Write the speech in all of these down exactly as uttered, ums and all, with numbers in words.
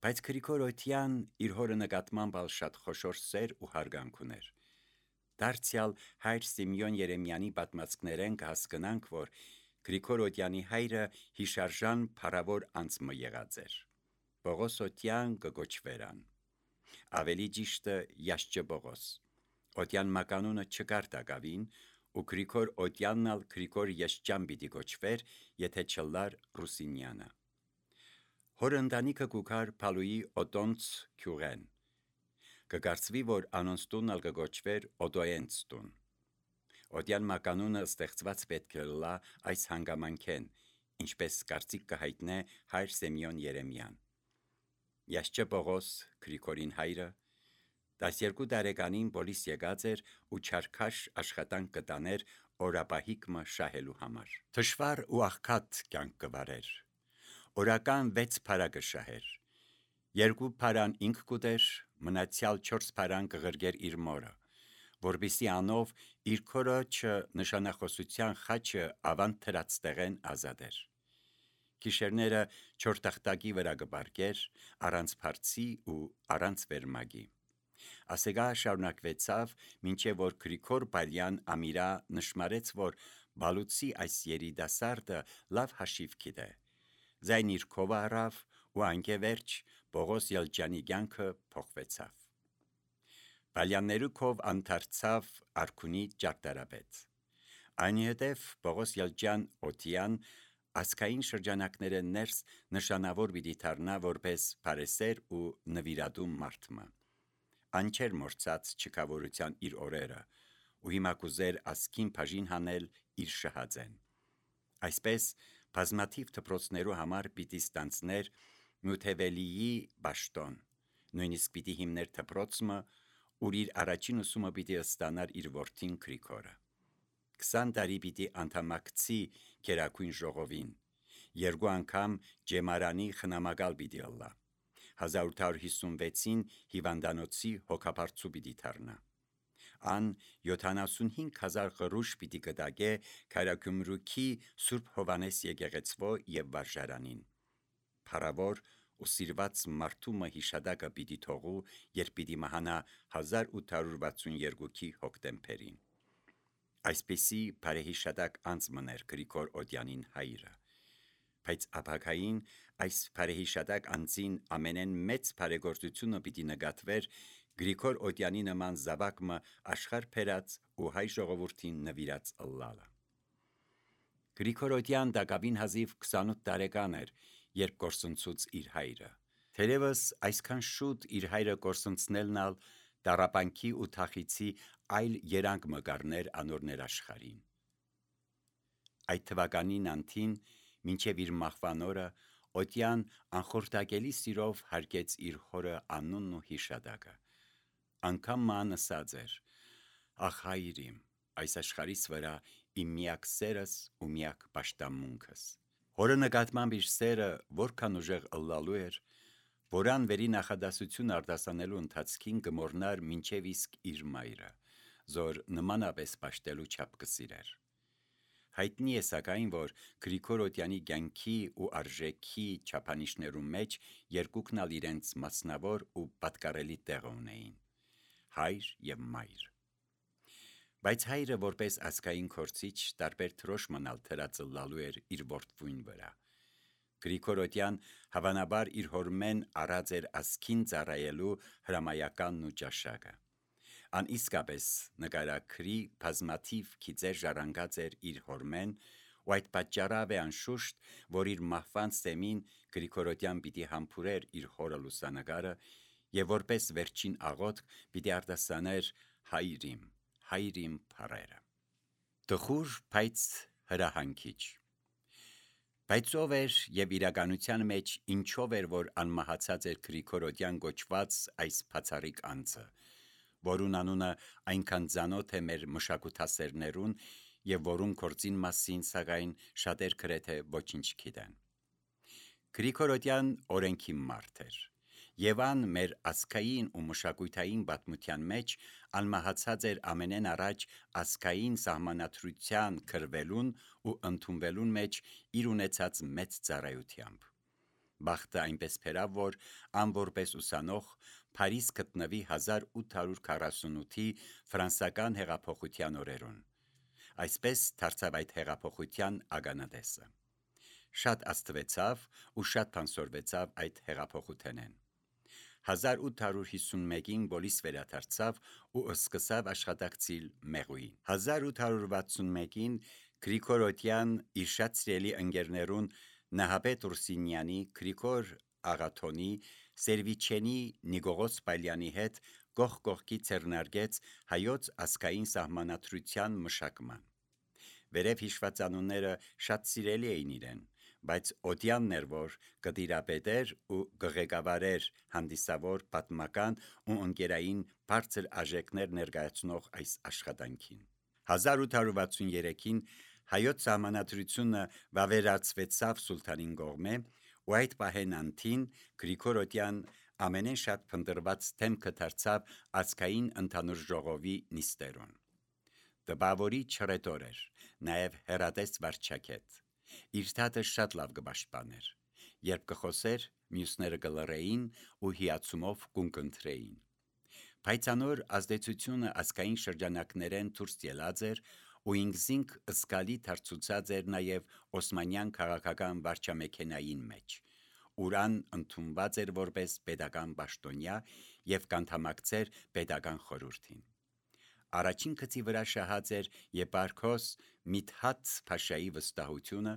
Բայց Գրիգորոդյան իր հորը նկատմամբ շատ խոշոր սեր ու հարգանք ուներ։ Դարձյալ հայր Սիմեոն Երեմյանի պատմածքներեն կհասկնանք, որ Գրիգորոդյանի հայրը հիշարժան փառավոր անձը եղած էր։ Պողոս Օդյան կգոչվերան։ Ավելի ճիշտը Յաշճե Պողոս։ Օդյան մականունը չկար տակավին, ու Գրիգոր Օդյանն ալ Գրիգոր Յաշճյան պիտի գոչվեր, եթե չլար Ռուսինյանը։ Հոր ընտանիքը կուքար Փալուի Օտոնց քյուղեն։ Կգարցվի, որ անոնց տունն ալ կգոչվեր Օդոյենց տուն։ Օդյան մականունը ստեղծված պետք է լա այս հանգամանքեն, ինչպես կարծիք կհայտնե հայր Սեմյոն Երեմյան։ Յաշճե Պողոս Գրիգորին հայրը տասներկու տարեկանին պոլիս եկած էր ու չարքաշ աշխատանք կտաներ օրապահիկմը շահելու համար։ Թշվառ ու աղքատ կյանք կվարեր։ Օրական վեց փարա կշահեր։ Երկու փարան ինք կուտեր, մնացյալ չորս փարան կղրգեր իր մորը, որպեսզի անով իր քորոջը նշանախոսության խաչը ավանդ թրած տեղեն ազատեր։ Գիշերները չորտախտակի վրա կբարգեր, առանց փարցի ու առանց վերմագի։ Ասեգա շարունակվեցավ, մինչև որ Գրիգոր Բալյան ամիրա նշմարեց, որ բալուցի այս երիտասարդը լավ հաշիվ գիտե։ Ձայն իր քովը առավ ու անկևերջ Պողոս Ելջյանի կյանքը փոխվեցավ։ Բալյաններու քով անդարձավ արքունի ճարտարապետ։ Այնուհետև Պողոս Ելջյան Օդյան ասկային շրջանակները ներս նշանավոր պիտի դառնա որպես փարեսեր ու նվիրատու մարդմը։ Անչեր մորցած չքավորության իր օրերը ու հիմա կուզեր ասկին բաժին հանել իր շահածեն։ Այսպես բազմաթիվ դպրոցներու համար պիտի ստանցներ Մյութևելիի բաշտոն, նույնիսկ պիտի հիմներ դպրոցը, ուր իր առաջին ուսումը պիտի ստանար իր որդին Գրիգորը։ Քսան տարի պիտի անդամակցի Գերագույն ժողովին, երկու անգամ ջեմարանի խնամակալ պիտի ըլլա, հազար ութ հարյուր հիսունվեցին հիվանդանոցի հոգաբարձու պիտի դառնա։ Ան յոթանասունհինգ հազար ղռուշ պիտի կտակե Քարագումրուքի Սուրբ Հովանես եկեղեցվո եւ վարժարանին։ Փառավոր ու սիրված մարդումը հիշադակը պիտի թողու, երբ պիտի մահանա հազար ութ հարյուր վաթսունյոթի հոկտեմբերին։ Այսպիսի բարեհիշադակ անձ մներ Գրիգոր Օդյանին հայրը, բայց ապագային այս բարեհիշադակ անձին ամենեն մեծ բարեգործությունը պիտի նկատվեր Գրիգոր Օդյանի նման զավակը աշխարհ բերած ու հայ ժողովրդին նվիրած ըլլալը։ Գրիգոր Օդյան տակավին հազիվ քսանութ տարեկան էր, երբ կորսնցուց իր հայրը։ Թերևս այսքան շուտ իր հայրը կորսնցնելն ալ տառապանքի ու թախիցի այլ երանգ մը կառներ անոր ներաշխարհին։ Այդ թվականին անթին, մինչև իր մահվան օրը, Օդյան անխորտակելի սիրով հարգեց իր հորը անունն ու հիշադակը։ Անգամ ման ասած էր. «Ախ հայր իմ, այս աշխարհիս վրա իմ միակ սերս ու միակ պաշտամունքս»։ Հորը նկատմամբ իր սերը որքան ուժեղ ըլլալու էր, որան վերի նախադասություն արտասանելու ընթացքին կմոռնար մինչև իսկ իր մայրը, զոր նմանապես պաշտելու չափ կսիրեր։ Հայտնի է սակայն, որ Գրիգոր Օդյանի կյանքի ու արժեքի չափանիշներու մեջ երկուքն ալ իրենց մասնավոր ու պատկառելի տեղը ունեին՝ հայր եւ մայր։ Բայց հայրը որպես ազգային քորցիչ տարբեր թրոշ մնալ թրած ըլլալու էր իր որդվույն վրա։ Գրիգոր Օդյան հավանաբար իր հորմեն առած էր ասկին ծառայելու հրամայականն ու ճաշակը։ Ան իսկապես նկարագրի բազմաթիվ գիծեր ժառանգած էր իր հորմեն, ու այդ պատճառավ է անշուշտ, որ իր մահվան սեմին Գրիգոր Օդյան պիտի համբուրեր իր հորը լուսանկարը եւ որպես վերջին աղոթք պիտի արտասաներ հայր իմ, հայր իմ փառերը։ Տխուր, բայց հրահանգիչ։ Բայց ով էր եւ իրականության մեջ ինչով էր, որ անմահացած էր Գրիգոր Օդյան գոչված այս բացառիկ անձը, որուն անունը այնքան ծանոթ է մեր մշակութասերներուն եւ որուն գործին մասին սակայն շատեր գրեթե ոչինչ գիտեն։ Գրիգոր Օդյան օրենքի մարդ էր, եւ ան մեր ազգային ու մշակութային պատմության մեջ անմահացած էր ամենեն առաջ ազգային սահմանադրության քրվելուն ու ընդունվելուն մեջ իր ունեցած մեծ ծառայությամբ։ Բախտը այնպես փերավ, որ անորպես ուսանող Փարիզ գտնվի հազար ութ հարյուր քառասունութի ֆրանսական հեղափոխության օրերուն։ Այսպես դարձավ այդ հեղափոխության ականատեսը։ Շատ աստվեցավ ու շատ փանսորվեցավ այդ հեղափոխութենեն։ հազար ութ հարյուր հիսունմեկին բոլիս վերադարձավ ու սկսավ աշխատակցիլ մեղուին։ հազար ութ հարյուր վաթսունմեկին Գրիգոր Օդյան իր շատ սիրելի ընկերներուն Նահապետ Ուրսինյանի, Գրիգոր Աղաթոնի, Սերվիչենի, Նիկողոս Պալյանի հետ կողք կողքի ձեռնարկեց հայոց ազգային սահմանադրության մշակման։ Վերև հիշված անունները շատ սիրելի էին իրեն, բայց Օդյանն էր, որ կդիրապետեր ու կղեկավարեր հանդիսավոր պատմական ու ընկերային բարձր արժեքներ ներկայացնող այս աշխատանքին։ հազար ութ հարյուր վաթսուներեքին հայոց սահմանադրությունը վավերացվեցավ սուլթանին կողմէ, ու այդ պահեն անթին Գրիգոր Օդյան ամենեն շատ փնտրված թեմքը դարձավ ազգային ընդհանուր ժողովի նիստերուն։ Տպավորի չռետոր էր, նաև հեռատես վարչակետ։ Իր թաթը շատ լավ կպաշտպաներ։ Երբ կխոսեր, մյուսները կլռեին ու հիացումով կունկընտրեին։ Բայց անոր ազդեցությունը ազգային շրջանակներեն դուրս ելած էր ու ինքզինք զգալի դարձուցած էր նաև Օսմանյան քաղաքական վարչամեքենային մեջ, ուրան ընդունված էր որպես պետական պաշտոնյա և կանդամակցեր պետական խորհրդին։ Առաջին գծի վրա շահած էր եպարքոս Միդհաթ Փաշայի վստահությունը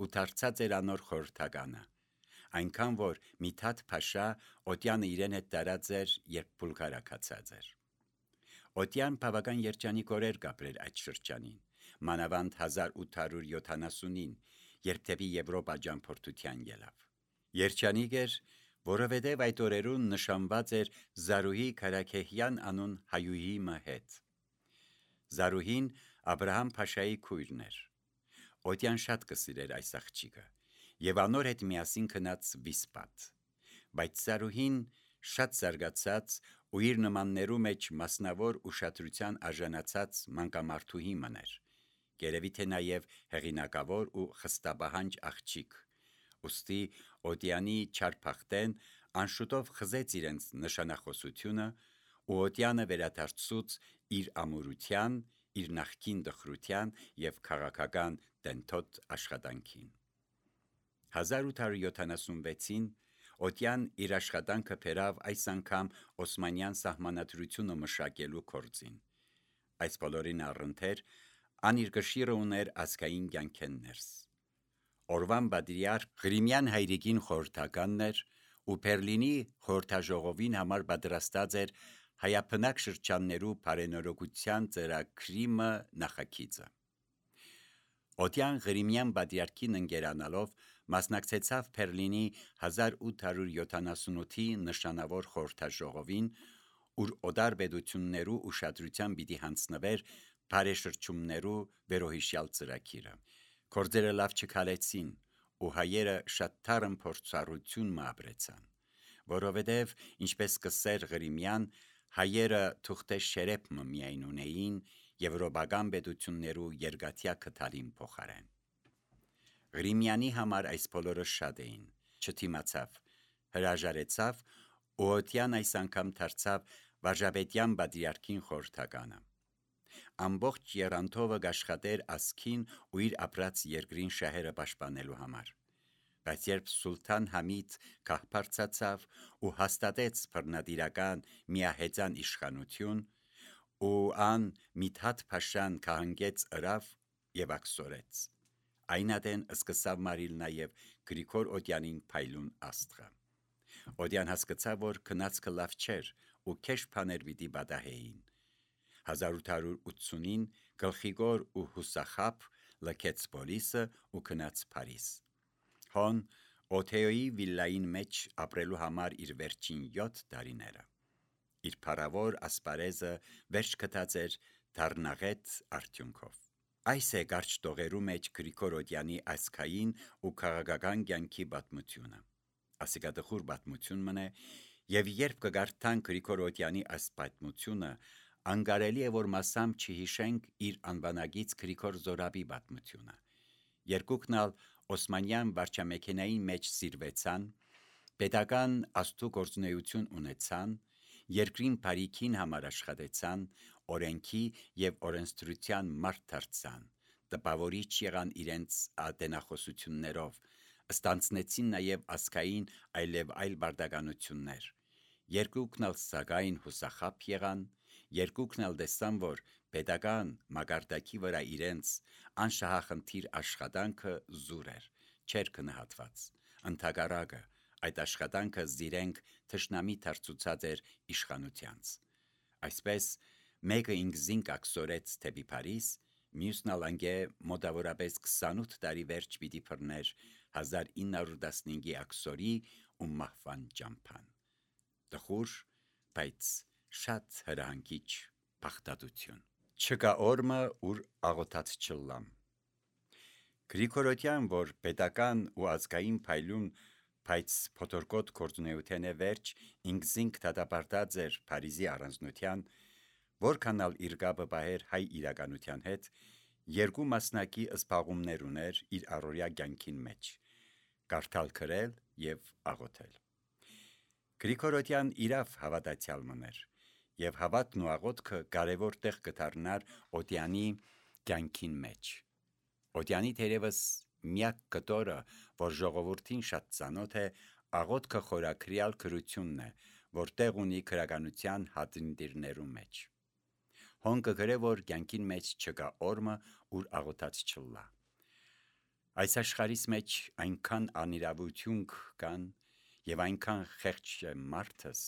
ու դարձած էր անոր խորհրդականը, այնքան որ Միդհաթ Փաշա Օդյանը իրեն հետ տարած էր, երբ Բուլղարիա գացած էր։ Օդյան բավական երջանիկ օրեր կապրեր այդ շրջանին, մանավանդ հազար ութ հարյուր յոթանասունին, երբ դեպի Եվրոպա ճամփորդության ելավ։ Երջանիկ էր, որովհետև այդ օրերուն նշանված էր Զարուհի Քարաքեհյան անուն հայուհի մը հետ։ Զարուհին Աբրահամ Փաշայի քույրն էր։ Օդյան շատ կսիրեր այս աղջիկը և անոր հետ միասին գնաց Վիսպատ։ Բայց Զարուհին շատ զարգացած ու իր նմաններու մեջ մասնավոր ուշադրության արժանացած մանկամարդուհի մներ, երևի թե նաև հեղինակավոր ու խստապահանջ աղջիկ, ուստի Օդյանի չարփախտեն անշուտով խզեց իրենց նշանախոսությունը ու Օդյանը վերադարձուց իր ամուրության, իր նախկին տխրության և քաղաքական դենթոտ աշխատանքին։ հազար ութ հարյուր յոթանասունվեցին Օդյան իր աշխատանքը բերավ այս անգամ Օսմանյան սահմանադրությունը մշակելու գործին։ Այս բոլորին առընթեր ան իր կշիռը ուներ ազգային կյանքեն ներս։ Օրվան պատրիարք Ղրիմյան հայրիկին խորհրդականն էր ու Բերլինի խորհրդաժողովին համար պատրաստած էր հայաբնակ շրջաններու բարենորոգության ծրագրի մը նախագիծը։ Օդյան Ղրիմյան պատրիարքին ընկերանալով մասնակցեցավ Բերլինի հազար ութ հարյուր յոթանասունութի նշանավոր խորհրդաժողովին, ուր օտար պետություններու ուշադրության պիտի հանձնվեր բարեշրջումներու վերոհիշյալ ծրագիրը։ Գործերը լավ չքալեցին ու հայերը շատ թարմ փորձառություն մը ապրեցան, որովհետև ինչպես կսեր Ղրիմյան, հայերը թուղթե շերեփ մը միայն ունեին եվրոպական պետություններու երկաթյա քթալին փոխարեն։ Ղրիմյանի համար այս բոլորը շատ էին, չթիմացավ, հրաժարեցավ ու Օդյան այս անգամ դարձավ վարժապետյան պատրիարքին խորհրդականը։ Ամբողջ եռանդովը կաշխատեր ազգին ու իր ապրած երկրին շահերը պաշտպանելու համար։ Բայց երբ Սուլթան Համիդ քաղբարձացավ ու հաստատեց բռնատիրական միահեծան իշխանություն, ու ան Միդհաթ Փաշան քահանգեց ըրավ և աքսորեց, այն ատեն սկսավ մարիլ նաև Գրիգոր Օդյանին փայլուն աստղը։ Օդյան հասկացավ, որ քնածքը լավ չէր ու քեշ բաներ պիտի պատահեին։ հազար ութ հարյուր ութսունին գլխիկոր ու հուսախաբ լքեց պոլիսը ու գնաց Փարիզ։ Հոն Օթեոյի վիլլային մեջ ապրելու համար իր վերջին յոթ տարիները։ Իր փառավոր ասպարեզը վերջ գտած էր դառնաղետ արդյունքով։ Այս է կարճ տողերու մեջ Գրիգոր Օդյանի ազգային ու քաղաքական կյանքի պատմությունը։ Ասիկատխուր պատմություն մնե, և երբ կգարթան Գրիգոր Օդյանի այս պատմությունը, անկարելի է որ մասամբ չհիշենք իր անվանագից Գրիգոր Զորաբի պատմությունը։ Երկուքն ալ Օսմանյան վարչամեքենային մեջ սիրվեցան Պետական աստու գործունեություն ունեցան, երկրին բարիքին համար աշխատեցան, օրենքի և օրենսդրության մարդ դարձան, տպավորիչ եղան իրենց ատենախոսություններով, ստանձնեցին նաև ազգային այլև այլ բարդականություններ, երկուքն էլ սակայն հուսախաբ եղան, երկուքն էլ տեսան, որ պետական մակարդակի վրա իրենց անշահախնդիր աշխատանքը զուր էր, չէր գնահատված, ընդհակառակը այդ աշխատանքը զիրենք թշնամի դարձուցած էր իշխանությանց։ Այսպես մեկը ինքզին կակսորեց թեպի Փարիզ, մյուսն ալ անգե մոտավորապես քսանութ տարի վերջ պիտի բռներ հազար ինը հարյուր տասնհինգի աքսորի ու մահվան ճամփան։ Տխուր, բայց շատ հրահանգիչ փախտատություն։ Չկա օրմը, ուր աղոթած չլամ։ Գրիգորոդյան, որ պետական ու ազգային փայլուն, բայց փոթորկոտ գործունեության է վերջ, ինքզինք դատապարտած էր Փարիզի առանձնության, որքան ալ իր կապը պահեր հայ իրականության հետ, երկու մասնակի զբաղումներ ուներ իր առօրյա կյանքին մեջ՝ կարդալ, գրել և աղոթել։ Գրիգորոդյան իրավ հավատացյալ մներ, և հավատն ու աղոթքը կարևոր տեղ կդառնար Օդյանի կյանքին մեջ։ Օդյանի թերևս միակ կտորը, որ ժողովրդին շատ ծանոթ է, աղոթքը խորաքրյալ գրությունն է, որ տեղ ունի գրականության հատնդիրներու մեջ։ Հոն կգրե, որ կյանքին մեջ չկա օրմը, ուր աղոթած չլա։ Այս աշխարհիս մեջ այնքան անիրավություն կան և այնքան խեղճ է մարդս,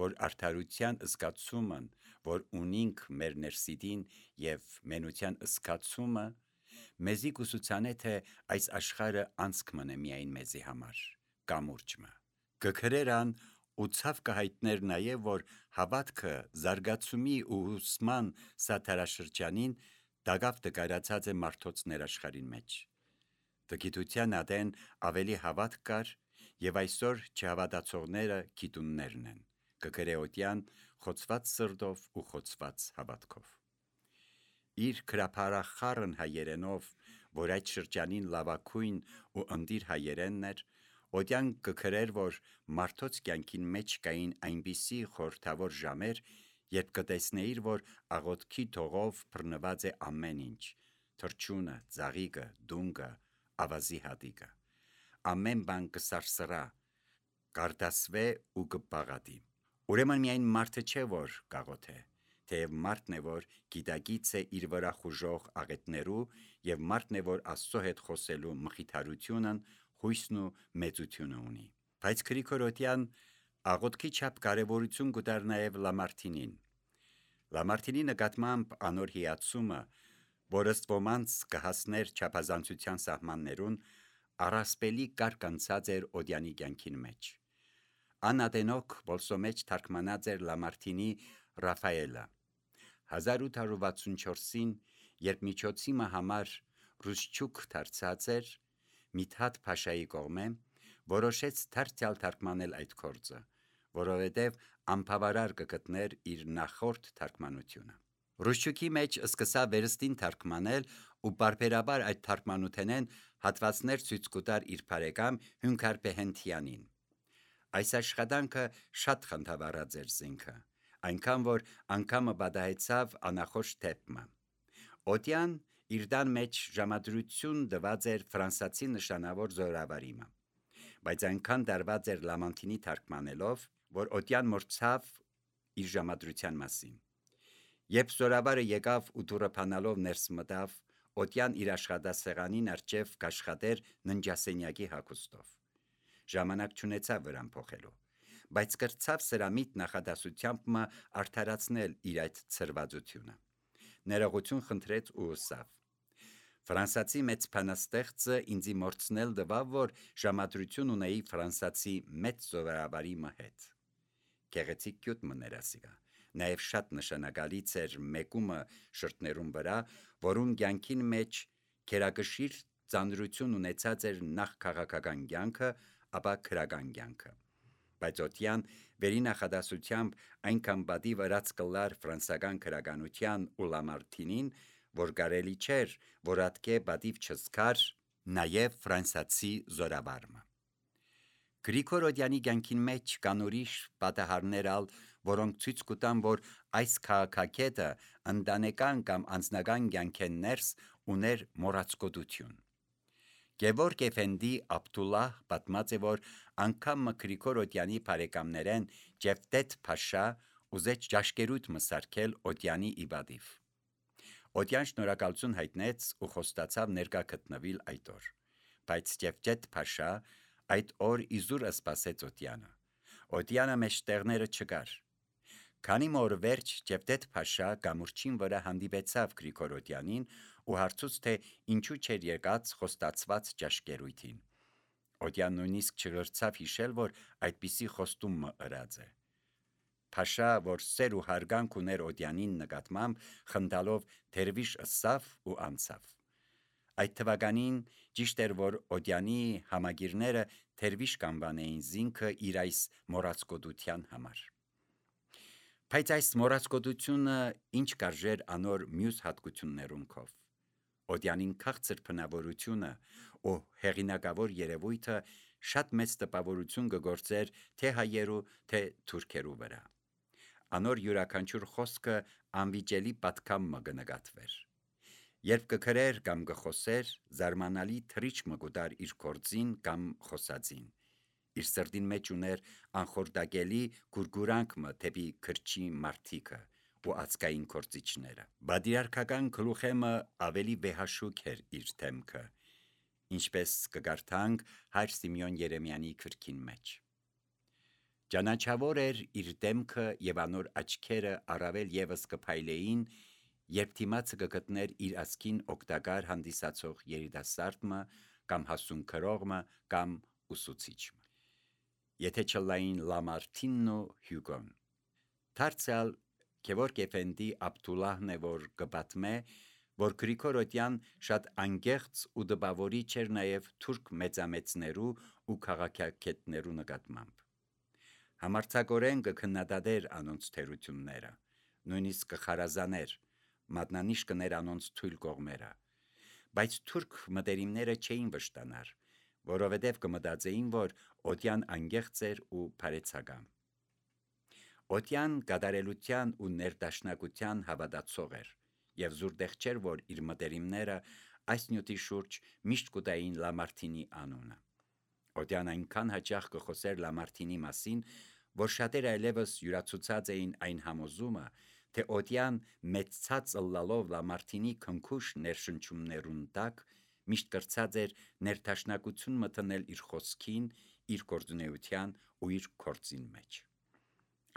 որ արդարության զգացումն, որ ունինք մեր ներսիդին, և մենության զգացումը մեզի կուսուցանե, թե այս աշխարհը անցք մնե միայն մեզի համար, կամուրջը։ Կգրերան ու ցավ կհայտներ նաև, որ հավատքը զարգացումի ու ուսման սաթարաշրջանին դակավ դկարացած է մարդոց ներաշխարհին մեջ։ Տգիտության ադեն ավելի հավատք կար, և այսօր չհավատացողները գիտուններն են, կգրե Օդյան խոցված սրտով ու խոցված հավատքով։ Իր գրաբարախառն հայերենով, որ այդ շրջանին լավագույն ու ընտիր հայերենն էր, Օդյան կգրեր, որ մարդոց կյանքին մեջ կային այնպիսի խորհրդավոր ժամեր, երբ կտեսնեիր, որ աղոթքի թողով բռնված է ամեն ինչ՝ թռչունը, ծաղիկը, դունգը, ավազի հատիկը։ Ամեն բան կսարսռա, կարդասվե ու կբաղատի։ Ուրեմն միայն մարդը չէ, որ կաղոթե, թեև մարդն է, որ գիտակից է իր վրա խուժող աղետներու, և մարդն է, որ Աստծո հետ խոսելու մխիթարությունն, հույսն ու մեծությունը ունի։ Բայց Գրիգորոդյան աղոթքի չափ կարևորություն կտար նաև Լամարտինին։ Լամարտինի նկատմամբ անոր հիացումը, որ ըստ ոմանց կհասներ չափազանցության սահմաններուն, առասպելի կարգ անցած էր Օդյանի կյանքին մեջ։ Անատենոք Բոլսո մեջ թարգմանած էր Լամարտինի Ռաֆայելը։ հազար ութ հարյուր վաթսունչորսին, երբ միջոցիմը համար ռուսչուք դարձած էր, Միդհաթ Փաշայի կողմէ, որոշեց դարձյալ թարգմանել այդ գործը, որովհետև անբավարար կգտներ իր նախորդ թարգմանությունը։ Ռուսչուքի մեջ սկսավ վերստին թարգմանել ու պարբերաբար այդ թարգմանութենեն հատվածներ ցույց կտար իր բարեկամ Հունքար Բեհենթյանին։ Այս աշխատանքը շատ խնդավառած էր զինքը, այնքան որ անգամը պատահեցավ անախորժ դեպքը։ Օդյան իր տան մեջ ժամադրություն տված էր ֆրանսացի նշանավոր զորավարիմը, բայց այնքան դարված էր Լամարտինի թարգմանելով, որ Օդյան մոռացավ իր ժամադրության մասին։ Երբ զորավարը եկավ ու դուռը բանալով ներս մտավ, Օդյան իր աշխատասեղանին առջև կաշխատեր ննջասենյակի հագուստով։ Ժամանակ չունեցավ վրան փոխելու, բայց կրծավ սրամիտ նախադասությամբ մը արդարացնել իր այդ ցրվածությունը։ Ներողություն խնդրեց ու ըսավ. Ֆրանսացի մեծ բանաստեղծը ինձի մորցնել տվավ, որ ժամադրություն ունեի ֆրանսացի մեծ զորավարի հետ։ Գեղեցիկ գյուտ մներ ասիգա, նաև շատ նշանակալից էր մեկումը շրթներուն վրա, որուն կյանքին մեջ գերակշիռ ծանրություն ունեցած էր նախ քաղաքական կյանքը, ապա քրական կյանքը։ Բայց Օդյան վերի նախադասությամբ այնքան պատիվ ըրած կլար ֆրանսական քրականության ու Լամարտինին, որ կարելի չէր, որ ատկե պատիվ չզգար նաև ֆրանսացի զորավարը։ Գրիգոր Օդյանի կյանքին մեջ կան ուրիշ պատահարներ ալ, որոնք ցույց կտան, որ այս քաղաքակետը ընտանեկան կամ անձնական կյանքեն ներս ուներ մոռացկոտություն։ Գևորգ Էֆենդի Աբդուլլահ պատմած է, որ անգամ Գրիգոր Օդյանի բարեկամներեն Ջևդեթ Փաշա ուզեց ճաշկերույթ մսարկել Օդյանի իբադիվ։ Օդյան շնորհակալություն հայտնեց ու խոստացավ ներկա գտնվել այդ օր, բայց Ջևդեթ Փաշա այդ օր իզուր սպասեց Օդյանը։ Օդյանը մեջտեղները չկար։ Քանի որ վերջ Ջևդեթ Փաշա գամուրջին վրա հանդիպեցավ Գրիգոր Օդյանին ու հարցուց, թե ինչու չէր եկած խոստացված ճաշկերույթին։ Օդյան նույնիսկ չգրցավ հիշել, որ այդպիսի խոստումը ըրած է։ Փաշա, որ սեր ու հարգանք ուներ Օդյանին նկատմամբ, խնդալով թերվիշ ըսավ ու անցավ։ Այդ թվականին ճիշտ էր, որ Օդյանի համագիրները թերվիշ կանվանեին զինքը իր այս մոռացկոտության համար։ Բայց այս մոռացկոտությունը ինչ կարժեր անոր մյուս հատկություններունքով։ Օդյանին քաղցր բնավորությունը ու հեղինակավոր երևույթը շատ մեծ տպավորություն կգործեր թե հայերու, թե թուրքերու վրա։ Անոր յուրաքանչյուր խոսքը անվիճելի պատկամը կնկատվեր։ Երբ կգրեր կամ կխոսեր, զարմանալի թրիչ մը կուտար իր գործին կամ խոսածին։ Իր սրտին մեջ ուներ անխորտակելի գուրգուրանք մը թեպի քրչի մարդիկը ու ածկային գործիչները։ Բادرարկական գլուխեմը ավելի վեհաշուկ էր իր թեմքը, ինչպես կգարթանք Հայր Սիմեոն Երեմյանի գրքին մեջ։ Ճանաչավոր էր իր դեմքը եւ անոր աչքերը առավել եւս կփայլեին, երբ դիմացը կգտներ իր ասքին օգտակար հանդիսացող երիտասարդը կամ հասուն քրողը կամ ուսուցիչը։ Եթե չլային Լամարտինն ու Հյուգոն։ Դարձյալ Գևորգ Էֆենդի Աբդուլլահն է, որ կպատմե, որ Գրիգոր Օդյան շատ անգեղծ ու դպավորիչ էր նաև թուրք մեծամեծներու ու քաղաքագետներու նկատմամբ։ Համարձակորեն կքննադատեր անոնց թերությունները, նույնիսկ կխարազաներ, մատնանիշ կներ անոնց թույլ կողմերը, բայց թուրք մտերիմները չէին վշտանար, որովհետև կմտածեին, որ Օդյան անգեղծ էր ու բարեցակամ։ Օդյան կատարելության ու ներդաշնակության հավատացող էր եւ զուրտեղ չէր, որ իր մտերիմները այս նյութի շուրջ միշտ կուտային Լամարտինի անունը։ Օդյան այնքան հաճախ կխոսեր Լամարտինի մասին, որ շատերը այլևս յուրացուցած էին այն համոզումը, թե Օդյան մեծցած ըլլալով Լամարտինի քնքուշ ներշնչումներուն տակ միշտ կրծած էր ներդաշնակություն մտնել իր խոսքին, իր գործունեության ու իր գործին մեջ։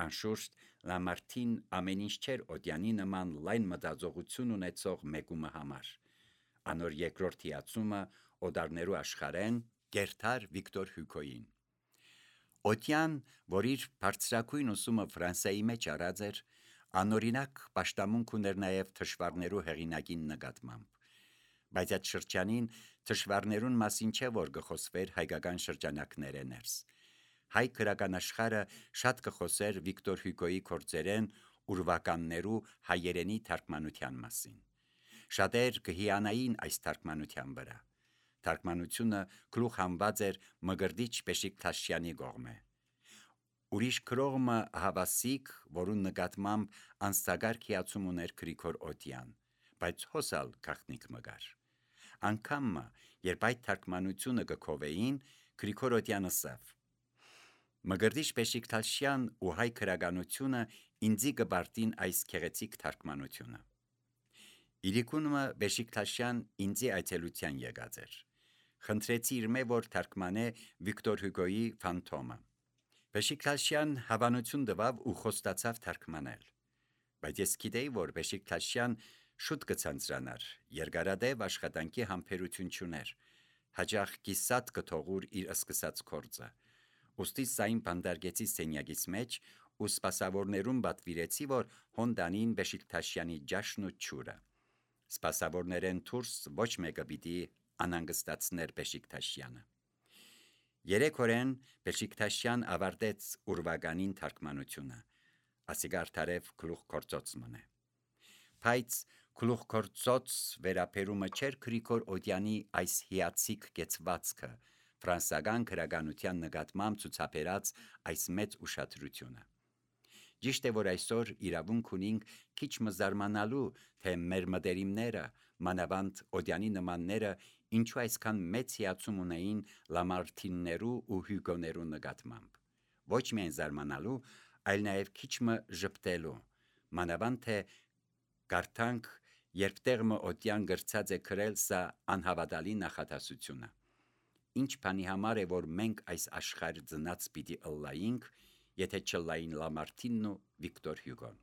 Անշուշտ Լամարտին ամեն ինչ չէր Օդյանի նման լայն մտածողություն ունեցող մեկումը համար։ Անոր երկրորդ հիացումը օդարներու աշխարհեն կերտար Վիկտոր Հյուգոյին։ Օդյան, որ իր բարձրակույն ուսումը Ֆրանսիայի մեջ արած էր, անօրինակ պաշտամունք ուներ նաև թշվառներու հեղինակին նկատմամբ, բայց այդ շրջանին թշվառներուն մասին չէ, որ կխոսվեր հայկական շրջանակները ներս։ Հայ գրական աշխարհը շատ կխոսեր Վիկտոր Հյուգոյի գործերեն ուրվականներու հայերենի թարգմանության մասին։ Շատեր կհիանային այս թարգմանության վրա։ Թարգմանությունը գլուխ հանված էր Մկրտիչ Բեշիկտաշյանի կողմէ։ Ուրիշ գրողը Հավասիկ, որուն նկատմամբ անստակարգ հիացում ուներ Գրիգոր Օդյան, բայց հոսալ գաղտնիք մգար։ Անգամ երբ այդ թարգմանությունը կքովեին, Գրիգոր Օդյանը ասավ. Մկրտիչ Բեշիկտաշյան ու հայ գրականությունը ինձի կբարտին այս գեղեցիկ թարգմանությունը։ Իրիկունը Բեշիկտաշյան ինձի այցելության եկած էր։ Խնդրեցի իր մե որ թարգմանե Վիկտոր Հյուգոյի Ֆանտոմը։ Բեշիկտաշյան հավանություն տվավ ու խոստացավ թարգմանել։ Բայց ես գիտեի, որ Բեշիկտաշյան շուտ կցանցրանար, երկարադեպ աշխատանքի համբերություն չուներ, հաճախ կիսատ կթողուր իր սկսած գործը։ Ոստի սային բանդարգեցի սենյակից մեջ ու սպասավորներուն պատվիրեցի, որ հոնդանին Բեշիկտաշյանի ջաշն ու ջուրը։ Սպասավորներեն դուրս ոչ մեկը պիտի անհանգստացներ Բեշիկտաշյանը։ Երեք օրեն Բեշիկտաշյան ավարտեց ուրվականին թարգմանությունը, ասիկա արդարև գլուխ գործոց մնե։ Բայց գլուխ գործոց վերապերումը չէր Գրիգոր Օդյանի այս հիացիկ կեցվածքը, ֆրանսական քրագանության նկատմամբ ցուցաբերած այս մեծ ուշադրությունը։ Ճիշտ է, որ այսօր իրավունք ունենք քիչ մզարմանալու, թե մեր մտերիմները, մանավանդ Օդյանի նմանները, ինչու այսքան մեծ հիացում ունեին Լամարտիններու ու Հյուգոներու նկատմամբ։ Ոչ միայն զարմանալու, այլ նաև քիչ մը ժպտելու, մանավանդ թե կարդանք, երբ Տերմը Օդյան գրծած է գրել սա անհավատալի նախատասությունը։ Ինչ բանի համար է, որ մենք այս աշխարհ ծնած պիտի ըլլայինք, եթե չլային Լամարտինն ու Վիկտոր Հյուգոն։